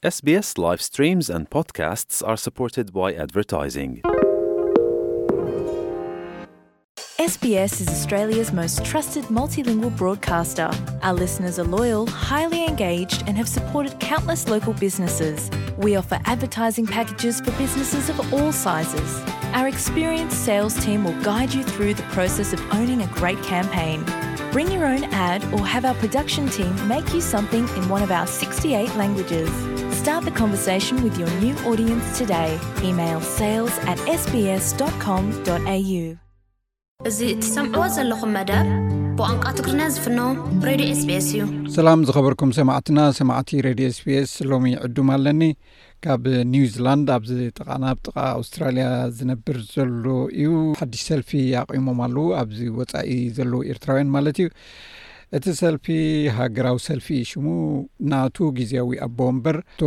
S B S live streams and podcasts are supported by advertising. S B S is Australia's most trusted multilingual broadcaster. Our listeners are loyal, highly engaged, and have supported countless local businesses. We offer advertising packages for businesses of all sizes. Our experienced sales team will guide you through the process of owning a great campaign. Bring your own ad or have our production team make you something in one of our sixty-eight languages. Start the conversation with your new audience today. Email sales at S B S dot com dot A U. እዚ እትሰምዕዎ ዘለኹም መደብ ብቋንቋ ትግርኛ ዝፍኖ ሬድዮ S B S እዩ። ሰላም ዝኸበርኩም ሰማዕትና፣ ሰማዕቲ ሬድዮ S B S፣ ሎሚ ዕዱም ኣለኒ። ካብ ኒውዚላንድ፣ ኣብዚ ጥቓና፣ ኣብ ጥቓ ኣውስትራልያ ዝነብር ዘሎ እዩ። ሓድሽ ሰልፊ ኣቑሞም ኣለዉ፣ ኣብዚ ወጻኢ ዘለዉ ኤርትራውያን ማለት እዩ። እቲ ሰልፊ ሃገራዊ ሰልፊ እዩ ሽሙ። ናቱ ግዜያዊ ኣቦ ወንበር ኣቶ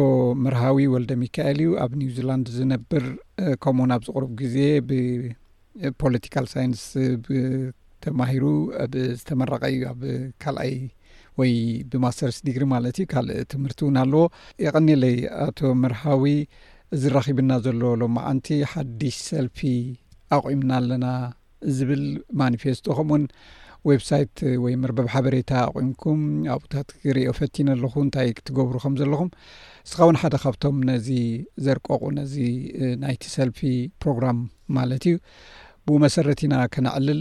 መርሃዊ ወልደ ሚካኤል እዩ፣ ኣብ ኒውዚላንድ ዝነብር፣ እ፣ ከምኡውን ኣብዚ ቁሩብ ግዜ ብ ፖለቲካል ሳይንስ ብ-፣ ተማሂሩ ኣብ ዝተመረቐ እዩ፣ ኣብ ካልኣይ ወይ ብማስተርስ ዲግሪ ማለት እዩ። ካልእ ትምህርቲ እውን ኣለዎ። የቐኒለይ ኣቶ መርሃዊ። እዚ ረኺብና ዘሎ ሎማዓንቲ ሓድሽ ሰልፊ ኣቑምና ኣለና ዝብል ማኒፌስቶ፣ ከምኡውን ዌብሳይት ወይ መርበብ ሓበሬታ ኣቑምኩም ኣብኡታት ክሪኦ ፈቲነ ኣለኹ፣ እንታይ ክትገብሩ ከም ዘለኹም። ንስኻ እውን ሓደ ካብቶም ነዚ ዘርቀቑ፣ ነዚ፣ እ፣ ናይቲ ሰልፊ ፕሮግራም ማለት እዩ። ብኡ መሰረት ኢና ከነዕልል።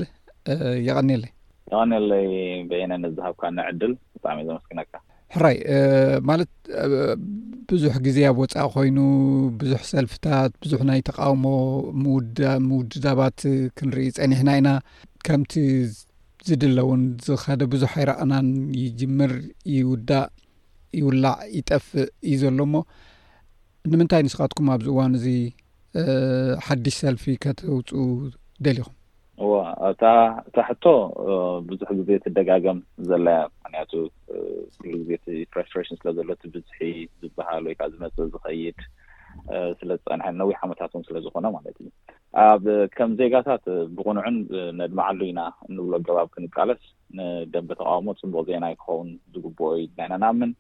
እ፣ የቐንየለይ። የቐንየለይ በየነ፣ ነዝሃብካኒ ዕድል ብጣዕሚ እየ ዘመስግነካ። ሕራይ፣ እ፣ ማለት፣ እ፣ ብዙሕ ግዜ ኣብ ወጻኢ ኮይኑ ብዙሕ ሰልፍታት፣ ብዙሕ ናይ ተቃውሞ ምውዳ-፣ ምውድዳባት ክንርኢ ጸኒሕና ኢና። ከምቲ ዝድለ እውን ዝኸደ ብዙሕ ኣይረኣናን። ይጅምር፣ ይውዳእ፣ ይውላዕ፣ ይጠፍእ እዩ ዘሎ። እሞ ንምንታይ ንስኻትኩም ኣብዚ እዋን እዚ፣ እ፣ ሓድሽ ሰልፊ ከተውጽኡ ደሊኹም? እዋ፣ እታ፣ እታ ሕቶ፣ እ፣ ብዙሕ ግዜ ትደጋገም ዘላ እያ። ምኽንያቱ፣ እ፣ ኩሉ ግዜ እቲ ፍራስትሬሽን ስለ ዘሎ፣ እቲ ብዝሒ ዝበሃል ወይ ከዓ ዝመጽእ ዝኸይድ፣ እ፣ ስለ ዝጸንሐ፣ ነዊሕ ዓመታት እውን ስለ ዝኾነ ማለት እዩ። ኣብ፣ ከም ዜጋታት፣ እ፣ ብቕኑዕን፣ እ፣ ነድምዓሉ ኢና እንብሎ ኣገባብ ክንቃለስ፣ ንደንበ ተቃውሞ ጽቡቕ ዜና ክኸውን ዝግብኦ እዩ ኢልና ኢና ንኣምን።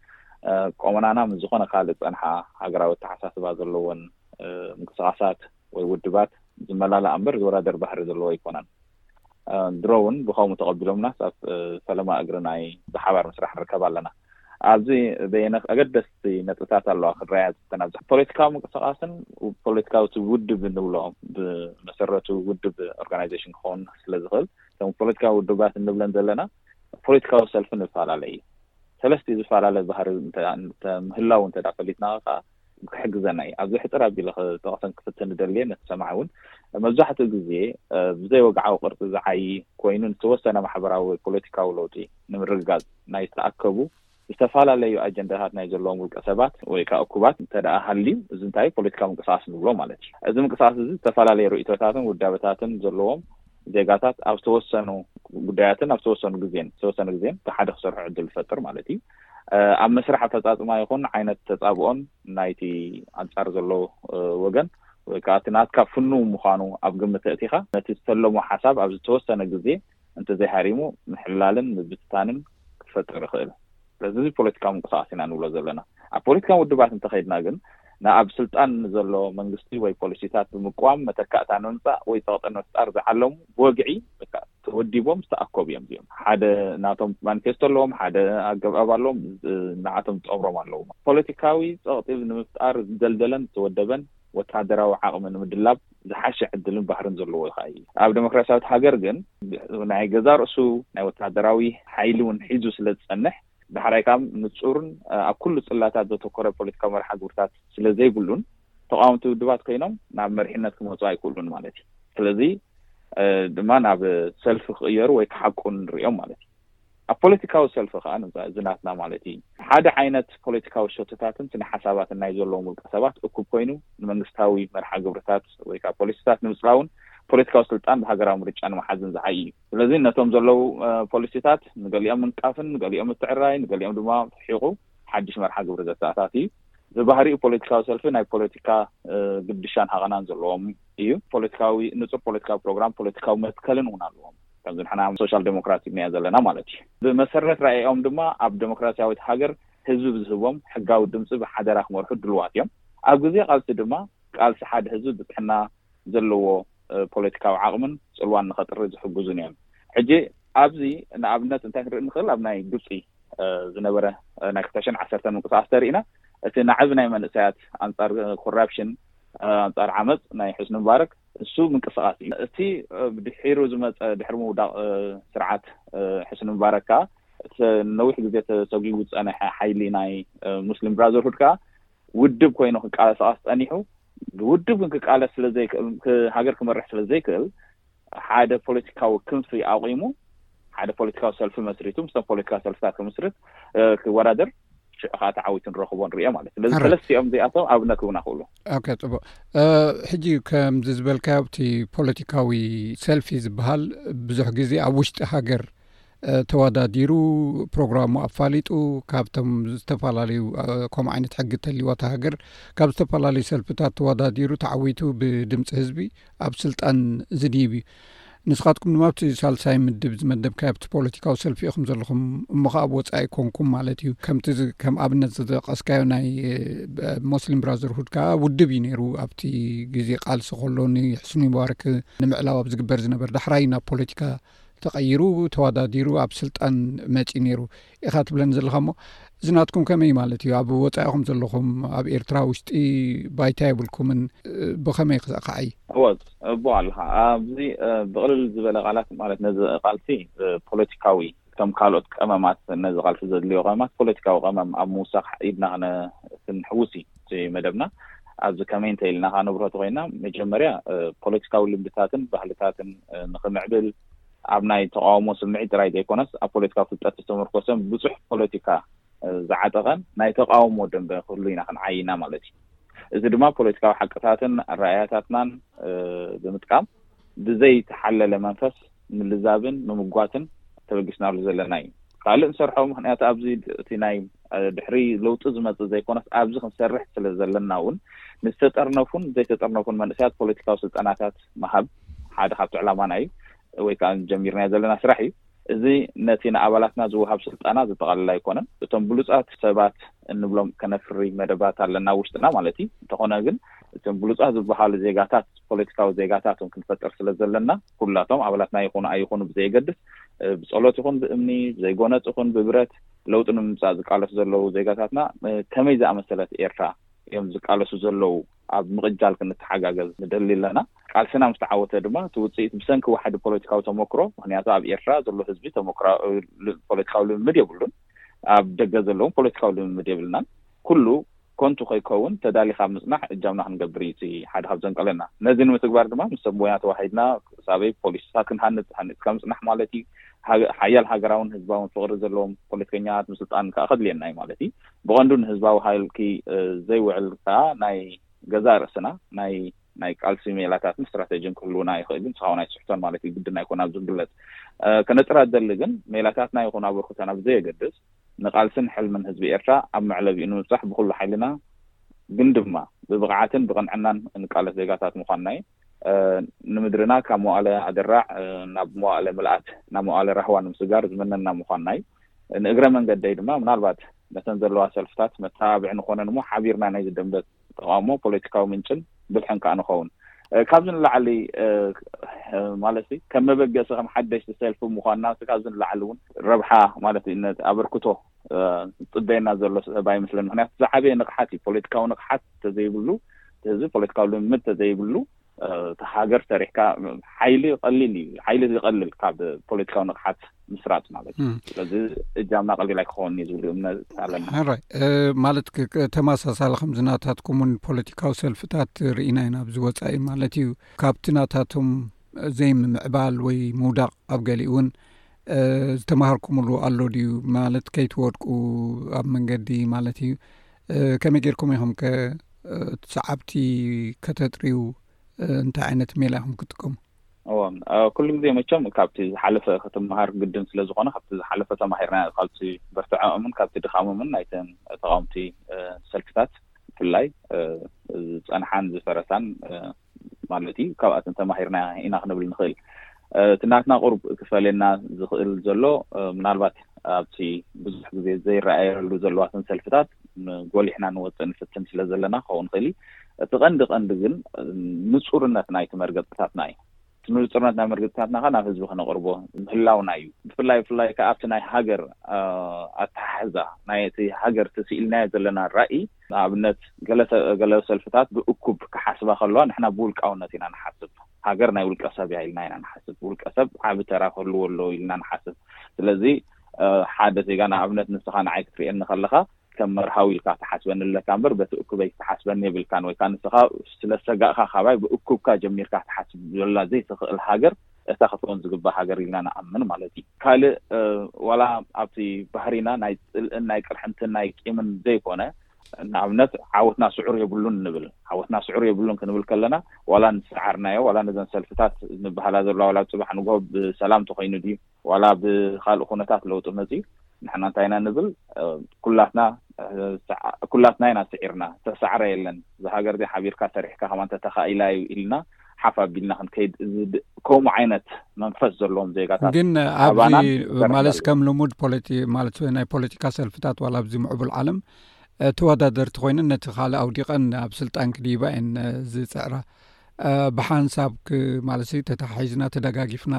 እ፣ ቆመናና ምስ ዝኾነ ካልእ ዝጸንሓ ሃገራዊ ኣተሓሳስባ ዘለወን፣ እ፣ ምንቅስቃሳት ወይ ውድባት ዝመላላኣ እምበር ዝወዳደር ባህሪ ዘለዎ ኣይኮነን። እ፣ ድሮ እውን ብኸምኡ ተቐቢሎምናስ ኣብ፣ እ፣ ፈለማ እግሪ ናይ ብሓባር ምስራሕ ንርከብ ኣለና። ኣብዚ በየነ ኣገደስቲ ነጥብታት ኣለዋ ክረኣያ ዝፍተን። ኣብዚ ፖለቲካዊ ምንቅስቃስን ፖለቲካዊ ውድብ እንብሎ ብመሰረቱ ውድብ ኦርጋናይዜሽን ክኸውን ስለ ዝኽእል፣ እቶም ፖለቲካዊ ውድባት እንብለን ዘለና ፖለቲካዊ ሰልፊ ንፈላለ እዩ። ሰለስተ ዝፈላለ ባህሪ እንተ-፣ እንተ-፣ ምህላው እንተ ደኣ ፈሊጥና ከኣ ክሕግዘና እዩ። ኣብዚ ሕጽር ኣቢለ ክጠቕሰን ክፍትን ዝደልየ ነቲ ሰማዒ እውን መብዛሕትኡ ግዜ፣ እ፣ ብዘይ ወግዓዊ ቅርጺ ዝዓዪ ኮይኑ ንዝተወሰነ ማሕበራዊ ወይ ፖለቲካዊ ለውጢ ንምርግጋጽ ናይ ዝተኣከቡ ዝተፈላለዩ ኣጀንዳታት ናይ ዘለዎም ውልቀ ሰባት ወይ ከዓ እኩባት እንተ ደኣ ሃልዩ፣ እዚ እንታይ ፖለቲካዊ ምንቅስቃስ ንብሎ ማለት እዩ። እዚ ምንቅስቃስ እዚ ዝተፈላለዩ ርእይቶታትን ውዳበታትን ዘለዎም ዜጋታት ኣብ ዝተወሰኑ ጉዳያትን ኣብ ዝተወሰኑ ግዜን፣ ዝተወሰነ ግዜን ብሓደ ክሰርሑ ዕድል ዝፈጥር ማለት እዩ። እ፣ ኣብ መስርሕ ኣፈጻጽማ ይኹን ዓይነት ተጻብኦን ናይቲ ኣንጻር ዘሎ፣ እ፣ ወገን ወይ ከዓ እቲ ናትካ ፍኑው ምዃኑ ኣብ ግምት ኣእቲኻ፣ ነቲ ዝተለሞ ሓሳብ ኣብ ዝተወሰነ ግዜ እንተዘይሃሪሙ ምሕላልን ምብትታንን ክፈጥር ይኽእል። ስለዚ እዚ ፖለቲካዊ ምንቅስቃስ ኢና ንብሎ ዘለና። ኣብ ፖለቲካዊ ውድባት እንተኸይድና ግን፣ ንኣብ ስልጣን ንዘሎ መንግስቲ ወይ ፖሊሲታት ብምቅዋም መተካእታ ንምምጻእ ወይ ጸቕጢ ንምፍጣር ዝዓለሙ ብወግዒ በቃ ተወዲቦም ዝተኣከቡ እዮም። እዚኦም ሓደ ናቶም ማኒፌስቶ ኣለዎም፣ ሓደ ኣገባብ ኣለዎም፣ እ፣ ንዓቶም ዝጠምሮም ኣለዎም። ፖለቲካዊ ጸቕጢ ንምፍጣር ዝደልደለን ዝተወደበን ወታደራዊ ዓቕሚ ንምድላብ ዝሓሸ ዕድልን ባህርን ዘለዎ ይኸኣ እዩ። ኣብ ዴሞክራሲያዊት ሃገር ግን ናይ ገዛ ርእሱ ናይ ወታደራዊ ሓይሊ እውን ሒዙ ስለ ዝጸንሕ፣ ዳሕራይ ካብ ንጹርን፣ እ፣ ኣብ ኩሉ ጽላታት ዘተኮረ ፖለቲካዊ መርሓ ግብርታት ስለ ዘይብሉን፣ ተቃወምቲ ውድባት ኮይኖም ናብ መሪሕነት ክመጹ ኣይክእሉን ማለት እዩ። ስለዚ፣ እ፣ ድማ ናብ ሰልፊ ክቕየሩ ወይ ክሓቁ ንርእዮም ማለት እዩ። ኣብ ፖለቲካዊ ሰልፊ ከኣ፣ ንምሳ-፣ እዚ ናትና ማለት እዩ፣ ሓደ ዓይነት ፖለቲካዊ ሸቶታትን ስነ ሓሳባትን ናይ ዘለዎም ውልቀ ሰባት እኩብ ኮይኑ፣ ንመንግስታዊ መርሓ ግብርታት ወይ ከዓ ፖሊሲታት ንምጽላውን ፖለቲካዊ ስልጣን ብሃገራዊ ምርጫ ንምሓዝን ዝዓዪ እዩ። ስለዚ ነቶም ዘለዉ፣ እ፣ ፖሊሲታት ንገሊኦም ምንቃፍን ንገሊኦም ምትዕራይ፣ ንገሊኦም ድማ ርሒቑ ሓድሽ መርሓ ግብሪ ዘተኣታቲ እዩ። ብባህሪኡ ፖለቲካዊ ሰልፊ ናይ ፖለቲካ፣ እ፣ ግድሻን ሃቐናን ዘለዎም እዩ። ፖለቲካዊ፣ ንጹር ፖለቲካዊ ፕሮግራም፣ ፖለቲካዊ መትከልን እውን ኣለዎም። ከምዚ ንሕና ሶሻል ዴሞክራት ኢና ዘለና ማለት እዩ። ብመሰረት ራእዮም ድማ ኣብ ዴሞክራሲያዊት ሃገር ህዝቢ ብዝህቦም ሕጋዊ ድምፂ ብሓደራ ክመርሑ ድልዋት እዮም። ኣብ ግዜ ቃልሲ ድማ ቃልሲ ሓደ ህዝቢ ብፅሕና ዘለዎ ፖለቲካዊ ዓቕምን ፅልዋን ንኸጥሪ ዝሕግዙን እዮም። ሕጂ ኣብዚ ንኣብነት እንታይ ክንርኢ ንኽእል? ኣብ ናይ ግብፂ ዝነበረ ናይ ክልተ ሽሕን ዓሰርተን ምንቅስቃስ ተሪኢና፣ እቲ ናዕቢ ናይ መንእሰያት ኣንፃር ኮራፕሽን፣ ኣንፃር ዓመፅ ናይ ሕስኒ ምባረክ እሱ ምንቅስቃስ እዩ። እቲ ድሒሩ ዝመፀ ድሕሪ ምውዳቅ ስርዓት ሕስኒ ምባረክ ከዓ እቲ ነዊሕ ግዜ ተሰጒጉ ዝፀነሐ ሓይሊ ናይ ሙስሊም ብራዘርሁድ ከዓ ውድብ ኮይኑ ክቃለሳቀስ ፀኒሑ፣ ብውድብ ግን ክቃለስ ስለዘይክእል፣ ሃገር ክመርሕ ስለዘይክእል ሓደ ፖለቲካዊ ክንፊ ኣቂሙ ሓደ ፖለቲካዊ ሰልፊ መስሪቱ ምስቶም ፖለቲካዊ ሰልፍታት ክምስርት ክወዳደር ሽዑ ከዓ ተዓዊቱ ንረኽቦ ንሪኦ ማለት። ስለዚ ሰለስቲኦም እዚኣቶም ኣብነት ክብና ክእሉ። ኦኬ፣ ፅቡቅ። ሕጂ ከምዚ ዝበልካዮ ኣብቲ ፖለቲካዊ ሰልፊ ዝበሃል ብዙሕ ግዜ ኣብ ውሽጢ ሃገር ተወዳዲሩ ፕሮግራሙ ኣፋሊጡ ካብቶም ዝተፈላለዩ ከምኡ ዓይነት ሕጊ ተልዋ ሃገር ካብ ዝተፈላለዩ ሰልፍታት ተወዳዲሩ ተዓዊቱ ብድምፂ ህዝቢ ኣብ ስልጣን ዝድይብ እዩ። ንስኻትኩም ድማ ኣብቲ ሳልሳይ ምድብ ዝመደብካዮ ኣብቲ ፖለቲካዊ ሰልፊ ኢኹም ዘለኹም፣ እሞ ከኣ ኣብ ወፃኢ ኮንኩም ማለት እዩ። ከምቲ ከም ኣብነት ዝጠቀስካዮ ናይ ሞስሊም ብራዘርሁድ ከዓ ውድብ እዩ ነይሩ ኣብቲ ግዜ ቃልሲ ከሎ ንሕስኒ ሙባረክ ንምዕላው ኣብ ዝግበር ዝነበር። ዳሕራይ ናብ ፖለቲካ ተቐይሩ ተወዳዲሩ ኣብ ስልጣን መፂኡ ነይሩ ኢኻ ትብለኒ ዘለኻ። እሞ እዚ ናትኩም ከመይ ማለት እዩ? ኣብ ወፃኢኹም ዘለኹም ኣብ ኤርትራ ውሽጢ ባይታ የብልኩምን፣ ብኸመይ ክዘእካዓይ? እወ፣ እቦ ኣለኻ ኣብዚ ብቕልል ዝበለ ቃላት ማለት ነዚ ቃልሲ ፖለቲካዊ ከም ካልኦት ቀመማት ነዚ ቃልሲ ዘድልዮ ቀመማት ፖለቲካዊ ቀመም ኣብ ምውሳኽ ኢድና ክንሕውስ እዩ እቲ መደብና። ኣብዚ ከመይ እንተ ኢልና ከነብረቱ ኮይና መጀመርያ ፖለቲካዊ ልምድታትን ባህልታትን ንክምዕብል ኣብ ናይ ተቃውሞ ስምዒት ጥራይ ዘይኮነስ ኣብ ፖለቲካዊ ፍልጠት ዝተመርኮሰን ብዙሕ ፖለቲካ ዝዓጠቐን ናይ ተቃውሞ ደንበ ክህሉ ኢና ክንዓይና ማለት እዩ። እዚ ድማ ፖለቲካዊ ሓቅታትን ኣረኣያታትናን ብምጥቃም ብዘይተሓለለ መንፈስ ምልዛብን ምምጓትን ተበጊስናሉ ዘለና እዩ። ካልእ ንሰርሖ ምክንያት ኣብዚ እቲ ናይ ድሕሪ ለውጢ ዝመፅእ ዘይኮነስ ኣብዚ ክንሰርሕ ስለ ዘለና እውን ንዝተጠርነፉን ዘይተጠርነፉን መንእሰያት ፖለቲካዊ ስልጠናታት ምሃብ ሓደ ካብቲ ዕላማና እዩ ወይ ከዓ ጀሚርናዮ ዘለና ስራሕ እዩ። እዚ ነቲ ንኣባላትና ዝወሃብ ስልጠና ዘጠቓልል ኣይኮነን። እቶም ብሉፃት ሰባት እንብሎም ከነፍሪ መደባት ኣለና ውሽጥና ማለት እዩ። እንተኾነ ግን እቶም ብሉፃት ዝበሃሉ ዜጋታት ፖለቲካዊ ዜጋታት እውን ክንፈጥር ስለ ዘለና ኩላቶም ኣባላትና ይኹኑ ኣይኹኑ ብዘየገድስ ብፀሎት ይኹን ብእምኒ ብዘይጎነፅ ይኹን ብብረት ለውጢ ንምምፃእ ዝቃለሱ ዘለዉ ዜጋታትና ከመይ ዝኣመሰለት ኤርትራ እዮም ዝቃለሱ ዘለዉ ኣብ ምቕጃል ክንተሓጋገዝ ንደሊ ኣለና። ቃልስና ምስ ተዓወተ ድማ እቲ ውፅኢት ብሰንኪ ዋሕዲ ፖለቲካዊ ተመክሮ ምክንያቱ ኣብ ኤርትራ ዘሎ ህዝቢ ተመክሮ ፖለቲካዊ ልምምድ የብሉን። ኣብ ደገ ዘለዎም ፖለቲካዊ ልምምድ የብልናን። ኩሉ ኮንቱ ከይከውን ተዳሊኻ ምፅናሕ እጃምና ክንገብር እዩ እቲ ሓደ ካብ ዘንቀለና። ነዚ ንምትግባር ድማ ምስ ሰብ ሞያ ተዋሂድና ክሳበይ ፖሊሲታት ክንሃንፅ ሃኒፅካ ምፅናሕ ማለት እዩ። ሓያል ሃገራውን ህዝባውን ፍቕሪ ዘለዎም ፖለቲከኛታት ምስልጣን ከዓ ከድልየና እዩ ማለት እዩ። ብቐንዱ ንህዝባዊ ሃልኪ ዘይውዕል ከዓ ናይ ገዛእ ርእስና ናይ ናይ ቃልሲ ሜላታትን ስትራተጂን ክህልውና ይኽእል እዩ። ንስኻ እውን ኣይትስሕቶን ማለት እዩ። ግድን ኣይኮን ኣብዚ ክግለጽ ከነጽራ ዝደሊ ግን ሜላታትና ይኹን ኣበርክቶና ብዘየገድስ ንቃልስን ሕልምን ህዝቢ ኤርትራ ኣብ መዕለቢኡ ንምብጻሕ ብኹሉ ሓይልና ግን ድማ ብብቕዓትን ብቕንዕናን እንቃለስ ዜጋታት ምዃንና እዩ። ንምድርና ካብ መዋእለ ኣደራዕ ናብ መዋእለ ምልኣት ናብ መዋእለ ራህዋ ንምስጋር ዝመነና ምዃንና እዩ። ንእግረ መንገደይ ድማ ምናልባት ነተን ዘለዋ ሰልፍታት መተባብዒ ንኾነን እሞ ሓቢርና ናይ ዝደንበ ተቃውሞ ፖለቲካዊ ምንጭን ብልሕን ከዓ ንኸውን። ካብዚ ንላዕሊ ማለት ከም መበገሲ ከም ሓደሽቲ ሰልፊ ምኳንና ካብዚ ንላዕሊ እውን ረብሓ ማለት ኣበርክቶ ዝፅበየና ዘሎ ሰብ ኣይመስለን። ምክንያቱ ዝዓበየ ንቕሓት እዩ። ፖለቲካዊ ንቕሓት ተዘይብሉ ህዝቢ ፖለቲካዊ ልምምድ ተዘይብሉ እቲ ሃገር ሰሪሕካ ሓይሊ ቀሊል እዩ። ሓይሊ ዝቀልል ካብ ፖለቲካዊ ንቕሓት ምስራጥ ማለት እዩ። ስለዚ እጃምና ቀሊል ኣይክኸውን እዩ ዝብል እምነት ኣለና። ሕራይ ማለት ተመሳሳሊ ከምዚ ናታትኩም እውን ፖለቲካዊ ሰልፍታት ርኢና ኢና ኣብዚ ወፃኢ ማለት እዩ። ካብቲ ናታቶም ዘይምምዕባል ወይ ምውዳቕ ኣብ ገሊኡ እውን ዝተማሃርኩምሉ ኣሎ ድዩ? ማለት ከይትወድቁ ኣብ መንገዲ ማለት እዩ። ከመይ ጌርኩም ኢኹም ከ ሰዓብቲ ከተጥርዩ እንታይ ዓይነት ሜላ ኢኹም ክትጥቀሙ? እዎ፣ ኩሉ ግዜ መቸም ካብቲ ዝሓለፈ ክትመሃር ግድን ስለ ዝኾነ ካብቲ ዝሓለፈ ተማሂርና ኢና። ካብቲ በርትዐኦምን ካብቲ ድኻሞምን ናይተን ተቃወምቲ ሰልፍታት ብፍላይ ዝፀንሓን ዝፈረሳን ማለት እዩ። ካብኣተን ተማሂርና ኢና ክንብል ንኽእል። እቲ ናትና ቁሩብ ክፈልየና ዝኽእል ዘሎ ምናልባት ኣብቲ ብዙሕ ግዜ ዘይረኣየሉ ዘለዋትን ሰልፍታት ጎሊሕና ንወፅእ ንፍትን ስለ ዘለና ክኸውን ይኽእል እዩ። እቲ ቀንዲ ቀንዲ ግን ንፁርነት ናይቲ መርገፅታትና እዩ። ንፁርነት ናይ መርገፅታትና ከ ናብ ህዝቢ ክነቕርቦ ምህላውና እዩ። ብፍላይ ብፍላይ ከ ኣብቲ ናይ ሃገር ኣተሓሕዛ ናይቲ ሃገር ተስኢልናዮ ዘለና ራእይ፣ ንኣብነት ገለ ሰልፍታት ብእኩብ ክሓስባ ከለዋ ንሕና ብውልቃውነት ኢና ንሓስብ። ሃገር ናይ ውልቀ ሰብ እያ ኢልና ኢና ንሓስብ። ውልቀ ሰብ ዓቢ ተራ ክህልዎ ኣለዎ ኢልና ንሓስብ። ስለዚ ሓደ ዜጋ ንኣብነት ንስኻ ንዓይ ክትርእየኒ ከለኻ ከም መርሃዊ ኢልካ ትሓስበኒ ኣለካ እምበር በቲ እኩበይ ክትሓስበኒ የብልካን። ወይ ከዓ ንስኻ ስለ ዝሰጋእካ ካባይ ብእኩብካ ጀሚርካ ትሓስብ ዘላ ዘይትኽእል ሃገር እታ ክትኮን ዝግባእ ሃገር ኢልና ንኣምን ማለት እዩ። ካልእ ዋላ ኣብቲ ባህሪና ናይ ፅልእን ናይ ቅርሕንትን ናይ ቂምን ዘይኮነ ንኣብነት ዓወትና ስዑር የብሉን ንብል። ዓወትና ስዑር የብሉን ክንብል ከለና ዋላ ንሰዓርናዮ ዋላ ነዘን ሰልፍታት ንበሃላ ዘለዋ ዋላ ኣብ ፅባሕ ንግሆ ብሰላም ተኮይኑ ድዩ ዋላ ብካልእ ኩነታት ለውጢ መፅዩ ንሕና እንታይ ኢና ንብል? ኩላትና ኩላትና ኢና ስዒርና። ተሳዕረ የለን። እዛ ሃገር እዚኣ ሓቢርካ ሰሪሕካ ከማን ተተኻኢላ እዩ ኢልና ሓፍ ኣቢልና ክንከይድ ከምኡ ዓይነት መንፈስ ዘለዎም ዜጋታት ግን ኣብዚ ማለት ከም ልሙድ ፖለቲ ማለት ናይ ፖለቲካ ሰልፍታት ዋላ ኣብዚ ምዕቡል ዓለም ተወዳደርቲ ኮይነን ነቲ ካልእ ኣውዲቐን ኣብ ስልጣን ክድይባ እየን ዝፅዕራ። ብሓንሳብ ማለት ተተሓሒዝና ተደጋጊፍና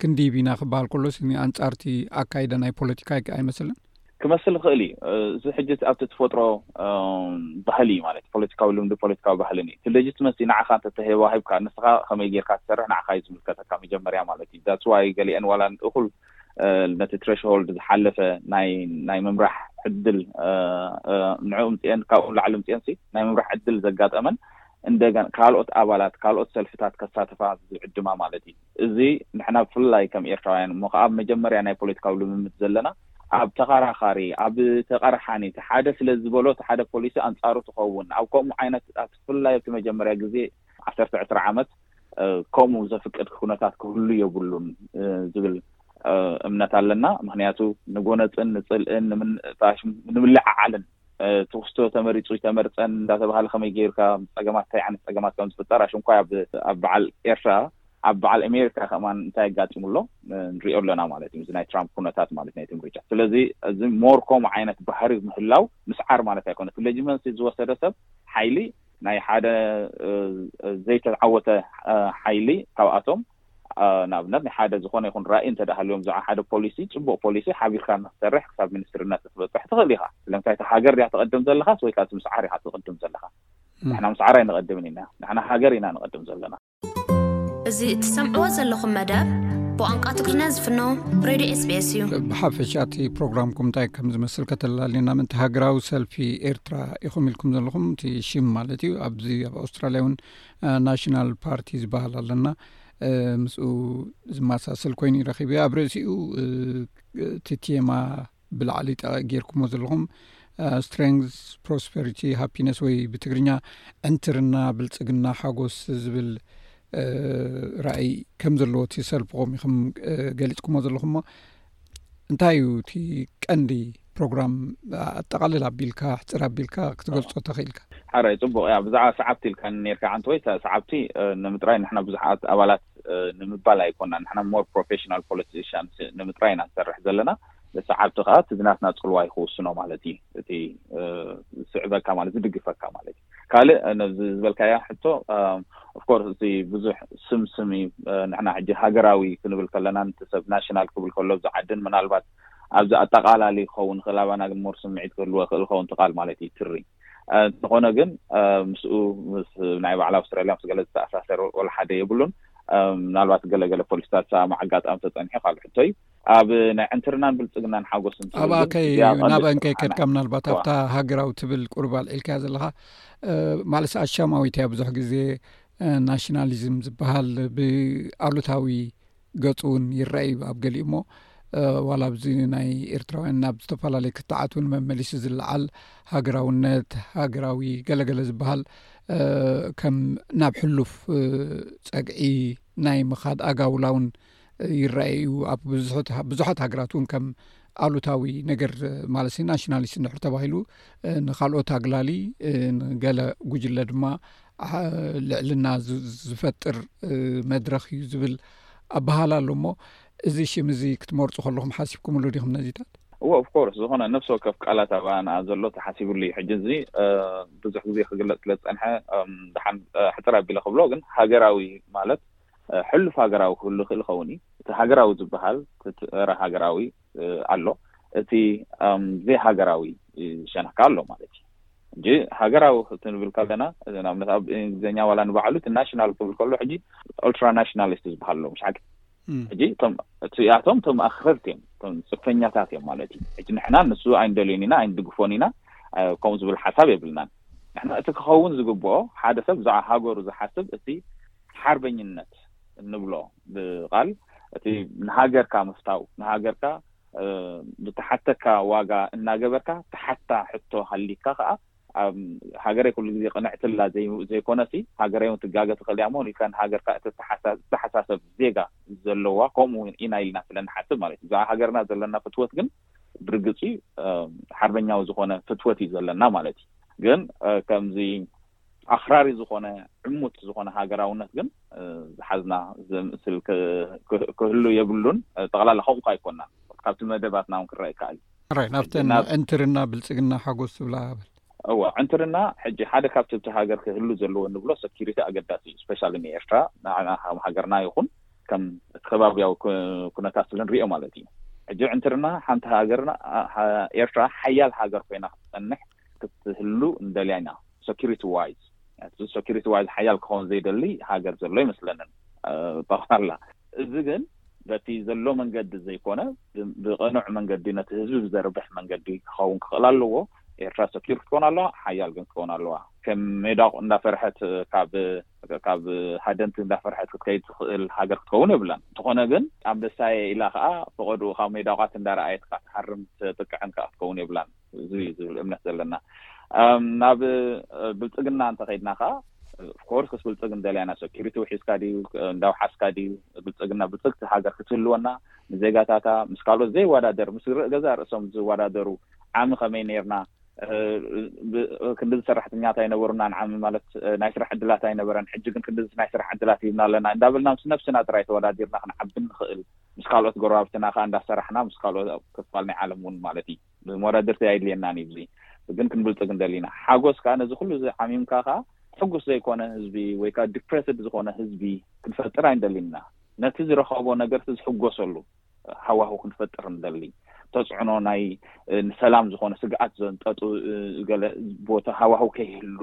ክንድይብ ኢና ክበሃል ከሎስ ንኣንፃርቲ ኣካይደ ናይ ፖለቲካ ኣይመስልን። ክመስል ይኽእል እዩ። እዚ ሕጂ ኣብቲ ተፈጥሮ ባህሊ ማለት ፖለቲካዊ ልምዲ ፖለቲካዊ ባህልን እዩ። እቲ ሌጂትመሲ ንዓኻ እንተተዋሂብካ ንስኻ ከመይ ጌርካ ትሰርሕ ንዓኻ እዩ ዝምልከተካ መጀመርያ ማለት እዩ። ዳትስ ዋይ ገሊአን ዋላ እኹል ነቲ ትሬሽሆልድ ዝሓለፈ ናይ ናይ ምምራሕ ዕድል ንዕኡ ምፅአን ካብኡ ላዕሊ ምፅአን ሲ ናይ ምምራሕ ዕድል ዘጋጠመን እንደገና ካልኦት ኣባላት ካልኦት ሰልፍታት ከሳተፋ ዝዕድማ ማለት እዩ። እዚ ንሕና ብፍላይ ከም ኤርትራውያን እሞ ከዓ ኣብ መጀመርያ ናይ ፖለቲካዊ ልምምድ ዘለና ኣብ ተኸራኻሪ ኣብ ተቐርሓኒ እቲ ሓደ ስለ ዝበሎ እቲ ሓደ ፖሊሲ ኣንፃሩ ትኸውን ኣብ ከምኡ ዓይነት ኣብ ብፍላይ ኣብቲ መጀመርያ ግዜ ዓሰርተ ዕስራ ዓመት ከምኡ ዘፍቅድ ኩነታት ክህሉ የብሉን ዝብል እምነት ኣለና። ምክንያቱ ንጎነፅን ንፅልእን ንምንጣሽ ንምልዕዓልን ትውስቶ ተመሪፁ ይተመርፀን እንዳተባሃለ ከመይ ገይርካ ፀገማት እንታይ ዓይነት ፀገማት ከም ዝፍጠር ኣሽንኳይ ኣብ በዓል ኤርትራ ኣብ በዓል ኣሜሪካ ከማን እንታይ ኣጋጢሙ ኣሎ ንሪኦ ኣለና ማለት እዩ። እዚ ናይ ትራምፕ ኩነታት ማለት ናይ ምርጫ። ስለዚ እዚ ሞር ከምኡ ዓይነት ባህሪ ምህላው ምስዓር ማለት ኣይኮነ። እቲ ሌጂትመሲ ዝወሰደ ሰብ ሓይሊ ናይ ሓደ ዘይተዓወተ ሓይሊ ካብኣቶም ንኣብነት ናይ ሓደ ዝኾነ ይኹን ራእይ እንተ ሃልዮም ብዛዕባ ሓደ ፖሊሲ ፅቡቅ ፖሊሲ ሓቢርካ ንክሰርሕ ክሳብ ሚኒስትርነት ክትበፅሕ ትኽእል ኢኻ። ስለምንታይ እቲ ሃገር ድያ ትቐድም ዘለኻስ ወይ ከዓ ምስዓር ኢኻ ትቕድም ዘለኻ? ንሕና ምስዓር ኣይንቐድምን ኢና። ንሕና ሃገር ኢና ንቐድም ዘለና። እዚ እትሰምዕዎ ዘለኹም መደብ ብቋንቋ ትግርኛ ዝፍኖ ሬድዮ ኤስቢኤስ እዩ። ብሓፈሻ እቲ ፕሮግራምኩም እንታይ ከም ዝመስል ከተላልየና ምእንቲ ሃገራዊ ሰልፊ ኤርትራ ኢኹም ኢልኩም ዘለኹም እቲ ሽም ማለት እዩ። ኣብዚ ኣብ ኣውስትራልያ እውን ናሽናል ፓርቲ ዝበሃል ኣለና። ምስኡ ዝመሳሰል ኮይኑ ይረኺቡ ኣብ ርእሲኡ እቲ ቴማ ብላዕሊ ጠ ጌርኩሞ ዘለኹም ስትሬንግስ ፕሮስፐሪቲ ሃፒነስ ወይ ብትግርኛ ዕንትርና ብልፅግና ሓጎስ ዝብል ራእይ ከም ዘለዎ እቲ ሰልፍኹም ኢኹም ገሊፅኩሞ ዘለኹሞ እንታይ እዩ እቲ ቀንዲ ፕሮግራም ኣጠቃልል ኣቢልካ ሕፅር ኣቢልካ ክትገልፆ ተኽኢልካ? ሓራይ ፅቡቅ እያ። ብዛዕባ ሰዓብቲ ኢልካ ነርካ ዓንተ ወይ ሰዓብቲ ንምጥራይ ንሕና ብዙሓት ኣባላት ንምባል ኣይኮና ንሕና ሞር ፕሮፌሽናል ፖለቲሽንስ ንምጥራይ ኢና ንሰርሕ ዘለና። ሰዓብቲ ከዓ እቲ ዝናትና ፅልዋ ይክውስኖ ማለት እዩ። እቲ ዝስዕበካ ማለት ዝድግፈካ ማለት እዩ። ካልእ ነዚ ዝበልካያ ሕቶ ኦፍኮርስ እቲ ብዙሕ ስምስም እዩ። ንሕና ሕጂ ሃገራዊ ክንብል ከለና ነቲ ሰብ ናሽናል ክብል ከሎ ኣብዚ ዓድን ምናልባት ኣብዚ ኣጠቃላሊ ክኸውን ይኽእል ኣባና ግን ሞር ስምዒት ክህልዎ ይኽእል ክኸውን ትቃል ማለት እዩ ትሪ እንተኾነ ግን ምስኡ ምስ ናይ ባዕላ ኣውስትራልያ ምስ ገለ ዝተኣሳሰር ወላ ሓደ የብሉን። ምናልባት ገለገለ ፖሊስታት ሰላም ኣጋጣሚ ተፀኒሑ ካልእ ሕቶ እዩ። ኣብ ናይ ዕንትርናን ብልፅግናን ሓጎስን ትብል ኣብኣ ግን ከይ እዚኣ ቀንዲ ናብአን ከይ ስርሓና። ከድካ ምናልባት እዋ። ኣብታ ሃገራዊ ትብል ቁርብ ኣልዒልካያ ዘለኻ ማለትስ ኣሻማዊት እያ ብዙሕ ግዜ ናሽናሊዝም ዝበሃል ብኣሉታዊ ገፁ እውን ይረአ እዩ ኣብ ገሊኡ እሞ ዋላ ኣብዚ ናይ ኤርትራውያን ናብ ዝተፈላለዩ ክትዓት እውን መመሊሱ ዝለዓል ሃገራውነት ሃገራዊ ገለገለ ዝበሃል ከም ናብ ሕሉፍ ፀግዒ ናይ ምኻድ ኣጋውላ እውን ይረአ እዩ ኣብ ብዙሓት ሃገራት እውን ከም ኣሉታዊ ነገር ማለት ናሽናሊስት እንድሕር ተባሂሉ ንካልኦት ኣግላሊ ንገለ ጉጅለ ድማ ልዕልና ዝፈጥር መድረክ እዩ ዝብል ኣበሃላ ኣሎ እሞ እዚ ሽም እዚ ክትመርጹ ከለኹም ሓሲብኩምሉ ዲኹም ነዚታት? እዎ፣ ኦፍኮርስ፣ ዝኾነ ነፍሲ ወከፍ ቃላት ኣብኣ ንኣ ዘሎ ተሓሲብሉ እዩ። ሕጂ እዚ ብዙሕ ግዜ ክግለጽ ስለ ዝጸንሐ ደሓን ሕፅር ኣቢለ ክብሎ፣ ግን ሃገራዊ ማለት ሕሉፍ ሃገራዊ ክህሉ ይኽእል ይኸውን እዩ። እቲ ሃገራዊ ዝበሃል እቲ ረ ሃገራዊ ኣሎ፣ እቲ ዘይሃገራዊ ሸነካ ኣሎ ማለት እዩ። እንጂ ሃገራዊ ክንብል ከለና፣ ንኣብነት ኣብ እንግሊዝኛ ዋላ ንባዕሉ እቲ ናሽናል ክብል ከሎ ሕጂ ኦልትራ ናሽናሊስት ዝበሃል ኣሎ፣ ምሽ ሓቂ? ሕጂ እቶም እቲኣቶም እቶም ኣኽረርቲ እዮም፣ እቶም ፅፈኛታት እዮም ማለት እዩ። ሕጂ ንሕና ንሱ ኣይንደልዮን ኢና፣ ኣይንድግፎን ኢና፣ ከምኡ ዝብል ሓሳብ የብልናን። ንሕና እቲ ክኸውን ዝግብኦ፣ ሓደ ሰብ ብዛዕባ ሃገሩ ዝሓስብ እቲ ሓርበኝነት እንብሎ ብቃል እቲ ንሃገርካ ምፍታው፣ ንሃገርካ ብተሓተካ ዋጋ እናገበርካ ተሓታ ሕቶ ሃሊካ ከዓ፣ ሃገረይ ኩሉ ግዜ ቅንዕትላ ዘይኮነሲ፣ ሃገረይ እውን ትጋገ ትኽእል እያ እሞ ኢልካ ንሃገርካ እተተሓሳሰብ ዜጋ ዘለዋ፣ ከምኡ እውን ኢና ኢልና ስለ ንሓስብ ማለት እዩ። ብዛዕባ ሃገርና ዘለና ፍትወት ግን ብርግፂ ሓርበኛዊ ዝኾነ ፍትወት እዩ ዘለና ማለት እዩ። ግን ከምዚ ኣኽራሪ ዝኾነ ዕሙት ዝኾነ ሃገራውነት ግን ዝሓዝና ዘምስል ክህሉ የብሉን። ጠቕላላ ከምኡ ኣይኮናን፣ ካብቲ መደባትና እውን ክረአ ይከኣል እዩ። ናብተን ዕንትርና፣ ብልፅግና፣ ሓጎስ ዝብላ በል። እወ፣ ዕንትርና ሕጂ ሓደ ካብቲ ኣብቲ ሃገር ክህሉ ዘለዎ ንብሎ ሰኪሪቲ ኣገዳሲ እዩ። ስፔሻሊ ንኤርትራ፣ ንዓና ከም ሃገርና ይኹን ከም ከባቢያዊ ኩነታት ስለ ንሪኦ ማለት እዩ። ሕጂ ዕንትርና ሓንቲ ሃገርና፣ ኤርትራ ሓያል ሃገር ኮይና ክትፀንሕ ክትህሉ እንደልያ ኢና። ሰኪሪቲ ዋይዝ፣ ሰኪሪቲ ዋይዝ ሓያል ክኸውን ዘይደሊ ሃገር ዘሎ ይመስለንን ጠቕላላ። እዚ ግን በቲ ዘሎ መንገዲ ዘይኮነ፣ ብቐኑዕ መንገዲ፣ ነቲ ህዝቢ ብዘርብሕ መንገዲ ክኸውን ክኽእል ኣለዎ። ኤርትራ ሰኪር ክትኮን ኣለዋ፣ ሓያል ግን ክትኮን ኣለዋ። ከም ሜዳቕ እንዳፈርሐት ካብ ካብ ሃደንቲ እንዳፈርሐት ክትከይድ ትኽእል ሃገር ክትኸውን የብላን። እንተኾነ ግን ኣንበሳየ ኢላ ከዓ ፈቐድኡ ካብ ሜዳቋት እንዳረኣየት ከዓ ትሃርም ትጥቅዕን ከዓ ክትኸውን የብላን። እዚ ዝብል እምነት ዘለና። ናብ ብልፅግና እንተኸይድና ከዓ፣ ኦፍኮርስ፣ ክስ ብልፅግ እንደልያና፣ ሰኪሪቲ ውሒስካ ድዩ፣ እንዳውሓስካ ድዩ፣ ብልፅግና ብልፅግቲ ሃገር ክትህልወና፣ ንዜጋታታ ምስ ካልኦት ዘይወዳደር፣ ምስ ርእ ገዛ ርእሶም ዝወዳደሩ፣ ዓሚ ከመይ ነርና፣ ክንድዚ ሰራሕተኛታት ኣይነበሩና ንዓሚ ማለት ናይ ስራሕ ዕድላት ኣይነበረን። ሕጂ ግን ክንድዚ ናይ ስራሕ ዕድላት ሂብና ኣለና እንዳበልና ምስ ነብስና ጥራይ ተወዳዲርና ክንዓቢ ንኽእል፣ ምስ ካልኦት ጎረባብትና ከዓ እንዳሰራሕና፣ ምስ ካልኦት ኣብ ክፋል ናይ ዓለም እውን ማለት እዩ። መወዳድርቲ ኣይድልየናን እዩ። እዚ ግን ክንብልፅግ እንደሊና። ሓጎስ ከዓ ነዚ ኩሉ እዚ ዓሚምካ ከዓ ሕጉስ ዘይኮነ ህዝቢ ወይ ከዓ ዲፕሬስድ ዝኾነ ህዝቢ ክንፈጥር ኣይንደሊና። ነቲ ዝረኸቦ ነገር እቲ ዝሕጎሰሉ ሃዋሁ ክንፈጥር ንደሊ። ተፅዕኖ ናይ ንሰላም ዝኾነ ስግኣት ዘንጠጡ ገለ ቦታ ሃዋሁ ከይህሉ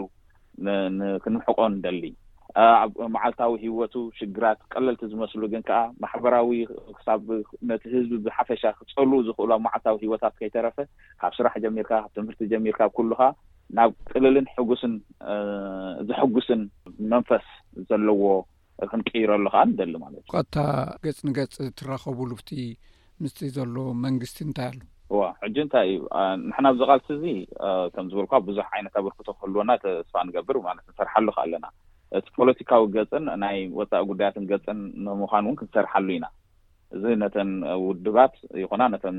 ክንምሕቆ ንደሊ። ኣብ መዓልታዊ ህይወቱ ሽግራት ቀለልቲ ዝመስሉ ግን ከዓ ማሕበራዊ ክሳብ ነቲ ህዝቢ ብሓፈሻ ክፀልኡ ዝኽእሉ ኣብ መዓልታዊ ህይወታት ከይተረፈ ካብ ስራሕ ጀሚርካ፣ ካብ ትምህርቲ ጀሚርካ፣ ኩሉኻ ናብ ቅልልን ሕጉስን ዘሐጉስን መንፈስ ዘለዎ ክንቅይረሉ ከዓ ንደሊ ማለት እዩ። ቀጥታ ገጽ ንገጽ ትራኸቡሉ ብቲ ምስቲ ዘሎ መንግስቲ እንታይ ኣሎ? እዋ፣ ሕጂ እንታይ እዩ? ንሕና ኣብዚ ቃልሲ እዚ ከም ዝበልኳ ብዙሕ ዓይነት ኣበርክቶ ክህልወና ተስፋ ንገብር ማለት ንሰርሓሉ ከ ኣለና። እቲ ፖለቲካዊ ገጽን ናይ ወፃኢ ጉዳያትን ገጽን ንምዃን እውን ክንሰርሓሉ ኢና። እዚ ነተን ውድባት ይኹና ነተን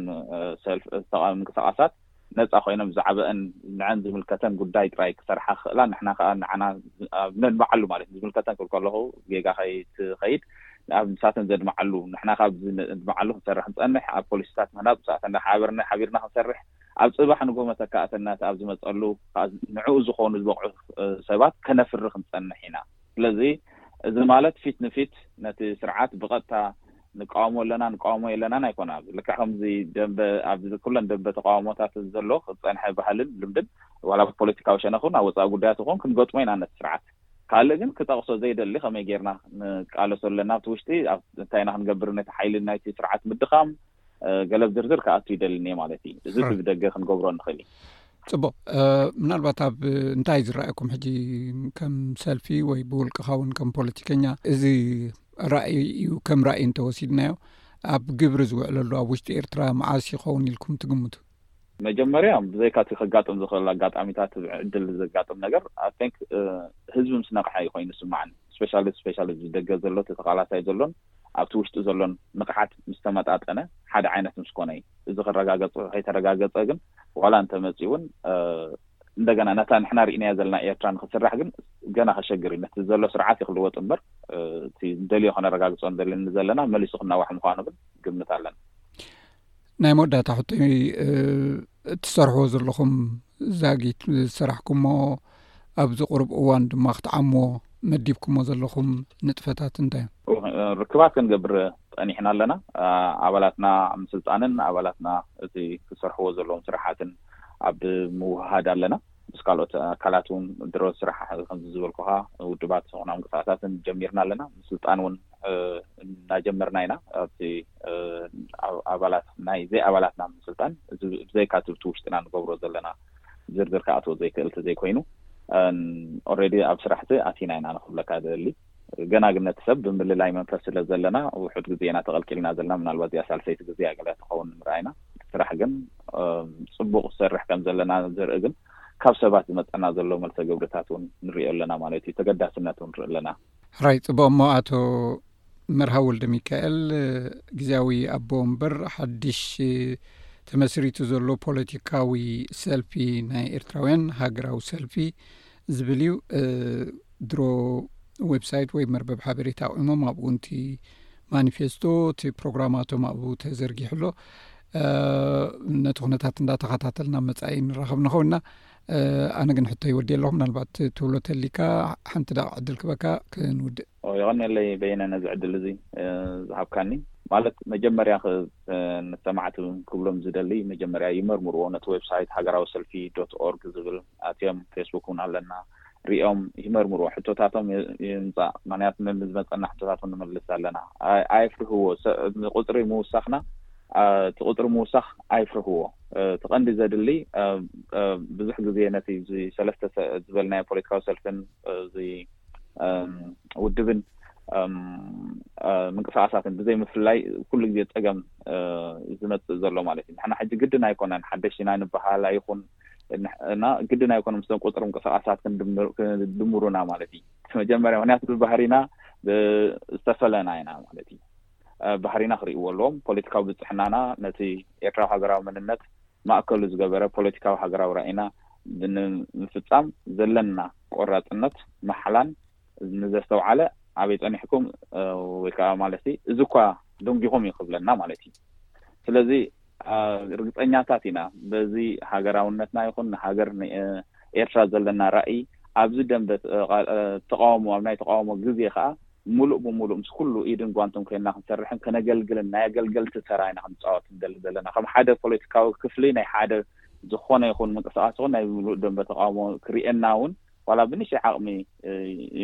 ሰልፍ ተቃዋሚ ምንቅስቃሳት ነፃ ኮይነን ብዛዕባአን ንዐን ዝምልከተን ጉዳይ ጥራይ ክሰርሓ ክኽእላ፣ ንሕና ከዓ ንዓና ነድምዓሉ ማለት እዩ። ዝምልከተን ክብል ከለኹ ጌጋ ከይትኸይድ፣ ኣብ ምሳተን ዘድምዓሉ፣ ንሕና ካብ ዘድምዓሉ ክንሰርሕ ንፀንሕ፣ ኣብ ፖሊሲታት ምህናፅ ምሳተን ሓቢርና ሓቢርና ክንሰርሕ፣ ኣብ ፅባሕ ንጎ መተካእተነት ኣብ ዝመፀሉ ከዓ ንዕኡ ዝኾኑ ዝበቕዑ ሰባት ከነፍሪ ክንፀንሕ ኢና። ስለዚ እዚ ማለት ፊት ንፊት ነቲ ስርዓት ብቐጥታ ንቃወሞ ኣለና ንቃወሞ የለናን ኣይኮነ። ኣብዚ ልክዕ ከምዚ ደንበ ኣብዚ ኩለን ደንበ ተቃውሞታት ዘሎ ክፀንሐ ባህልን ልምድን ዋላ ብፖለቲካዊ ሸነኽ እውን ኣብ ወፃኢ ጉዳያት ይኹን ክንገጥሞ ኢና ነቲ ስርዓት። ካልእ ግን ክጠቕሶ ዘይደሊ ከመይ ጌርና ንቃለሶ ኣለና ኣብቲ ውሽጢ እንታይ ኢና ክንገብር ነቲ ሓይሊ ናይቲ ስርዓት ምድኻም ገለብ ዝርዝር ክኣቱ ይደልን እየ ማለት እዩ። እዚ ብደገ ክንገብሮ ንኽእል እዩ። ፅቡቅ። ምናልባት ኣብ እንታይ ዝረኣየኩም ሕጂ ከም ሰልፊ ወይ ብውልቅኻ እውን ከም ፖለቲከኛ እዚ ራእይ እዩ ከም ራእይ እንተወሲድናዮ ኣብ ግብሪ ዝውዕለሉ ኣብ ውሽጢ ኤርትራ መዓስ ይኸውን ኢልኩም ትግምቱ? መጀመርያ ብዘይካ እቲ ከጋጥም ዝኽእል ኣጋጣሚታት ዕድል ዘጋጥም ነገር ኣይ ቲንክ ህዝቢ ምስ ነቕሐ እዩ ኮይኑ ዝስማዓኒ። ስፔሻሊ ስፔሻሊ እዚ ደገ ዘሎ እቲ ተቓላሳይ ዘሎን ኣብቲ ውሽጢ ዘሎን ንቕሓት ምስ ተመጣጠነ ሓደ ዓይነት ምስ ኮነ እዩ። እዚ ክረጋገፅ ከይተረጋገፀ ግን ዋላ እንተመፂ እውን እንደገና ነታ ንሕና ርኢናያ ዘለና ኤርትራ ንክስራሕ ግን ገና ከሸግር እዩ። ነቲ ዘሎ ስርዓት ይክልወጥ እምበር እቲ ደልዮ ከነረጋግጾ እንደልን ዘለና መሊሱ ክናዋሕ ምዃኑ ግን ግምት ኣለና። ናይ መወዳእታ ሕቶይ እትሰርሕዎ ዘለኹም ዛጊት ዝሰራሕኩሞ ኣብዚ ቁሩብ እዋን ድማ ክትዓምዎ መዲብኩሞ ዘለኹም ንጥፈታት እንታይ እዮም? ርክባት ክንገብር ጸኒሕና ኣለና። ኣባላትና ምስልጣንን ኣባላትና እቲ ክሰርሕዎ ዘለዎም ስራሓትን ኣብ ምውሃድ ኣለና። ምስ ካልኦት ኣካላት እውን ድሮ ስራሕ ከምዚ ዝበልኩኻ ውድባት ዝኾና ምንቅስቃሳትን ጀሚርና ኣለና። ምስልጣን እውን እናጀመርና ኢና። ኣብቲ ኣባላት ናይ ዘይ ኣባላትና ምስልጣን ብዘይካ ትብቲ ውሽጥና ንገብሮ ዘለና ዝርዝር ክኣትዎ ዘይክእል ተዘይኮይኑ ኦልሬዲ ኣብ ስራሕቲ ኣቲና ኢና ንክብለካ ደሊ። ገና ግን ነቲ ሰብ ብምልላይ መንፈስ ስለ ዘለና ውሑድ ግዜ ኢና ተቐልቂልና ዘለና። ምናልባት እዚኣ ሳልሰይቲ ግዜ ገለ ትኸውን ምርኣይና። ስራሕ ግን ጽቡቕ ዝሰርሕ ከም ዘለና ዘርኢ ግን ካብ ሰባት ዝመጸና ዘሎ መልሰ ግብርታት እውን ንሪኦ ኣለና ማለት እዩ። ተገዳስነት እውን ንርኢ ኣለና። ሕራይ ጽቡቕ። እሞ ኣቶ መርሃ ወልደ ሚካኤል ግዜያዊ ኣቦ ወንበር ሓድሽ ተመስሪቱ ዘሎ ፖለቲካዊ ሰልፊ ናይ ኤርትራውያን ሃገራዊ ሰልፊ ዝብል እዩ። ድሮ ዌብሳይት ወይ መርበብ ሓበሬታ ኣቑሞም ኣብኡ ንቲ ማኒፌስቶ እቲ ፕሮግራማቶም ኣብኡ ተዘርጊሑ ኣሎ። ነቲ ኩነታት እንዳተኸታተልና መጻኢ ንራኸብ ንኸውና። ኣነ ግን ሕቶ ይወዲ ኣለኹ። ምናልባት ትብሎ ተሊካ ሓንቲ ደቂቕ ዕድል ክበካ ክንውድእ። የቐንየለይ በየነ ነዚ ዕድል እዚ ዝሃብካኒ። ማለት መጀመርያ ንሰማዕቲ ክብሎም ዝደሊ መጀመርያ ይመርምርዎ ነቲ ዌብሳይት ሃገራዊ ሰልፊ ዶት ኦርግ ዝብል ኣትዮም ፌስቡክ እውን ኣለና ሪኦም ይመርምርዎ። ሕቶታቶም ይምፃእ። ምክንያቱ መምዝ መፀና ሕቶታቶም ንመልስ ኣለና። ኣይፍርህዎ። ቁፅሪ ምውሳኽና እቲ ቁፅሪ ምውሳኽ ኣይፍርህዎ። እቲ ቀንዲ ዘድሊ ብዙሕ ግዜ ነቲ ሰለስተ ዝበልናዮ ፖለቲካዊ ሰልፍን ውድብን ምንቅስቃሳትን ብዘይ ምፍላይ ኩሉ ግዜ ፀገም ዝመፅእ ዘሎ ማለት እዩ። ንሕና ሕጂ ግድን ኣይኮነን ሓደሽቲ ኢና ንበሃል ኣይኹን እና ግድን ኣይኮነ ምስቶም ቁፅሪ ምንቅስቃሳት ክድምሩና ማለት እዩ። መጀመርያ ምክንያቱ ብባህሪና ዝተፈለና ኢና ማለት እዩ። ባህሪና ክርእይዎ ኣለዎም። ፖለቲካዊ ብፅሕናና ነቲ ኤርትራዊ ሃገራዊ መንነት ማእከሉ ዝገበረ ፖለቲካዊ ሃገራዊ ራእይና ንምፍፃም ዘለና ቆራፅነት ማሕላን ንዘስተውዓለ ኣበይ ፀኒሕኩም ወይ ከዓ ማለት እዚ እኳ ደንጊኹም እዩ ክብለና ማለት እዩ። ስለዚ ርግፀኛታት ኢና በዚ ሃገራውነትና ይኹን ንሃገር ኤርትራ ዘለና ራእይ ኣብዚ ደንበ ተቃውሞ ኣብ ናይ ተቃውሞ ግዜ ከዓ ሙሉእ ብሙሉእ ምስ ኩሉ ኢድን ጓንትን ኮይንና ክንሰርሕን ከነገልግልን ናይ ኣገልገልቲ ተራ ኢና ክንፃወት ንደሊ ዘለና። ከም ሓደ ፖለቲካዊ ክፍሊ ናይ ሓደ ዝኾነ ይኹን ምንቅስቃስ ይኹን ናይ ሙሉእ ደንበ ተቃውሞ ክርእየና እውን ዋላ ብንእሽተይ ዓቕሚ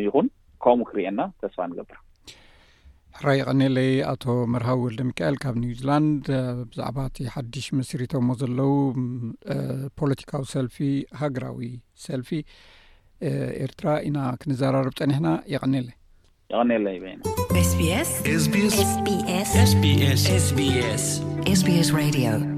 ይኹን ከምኡ ክርእየና ተስፋ ንገብር። ሕራይ የቐኔለይ ኣቶ መርሃዊ ወልደ ሚካኤል ካብ ኒውዚላንድ ብዛዕባ እቲ ሓድሽ መስሪቶሞ ዘለዉ ፖለቲካዊ ሰልፊ ሃገራዊ ሰልፊ ኤርትራ ኢና ክንዘራረብ ጸኒሕና። የቐኔለይ። የቐኔለይ በይነ። SBS SBS SBS SBS SBS Radio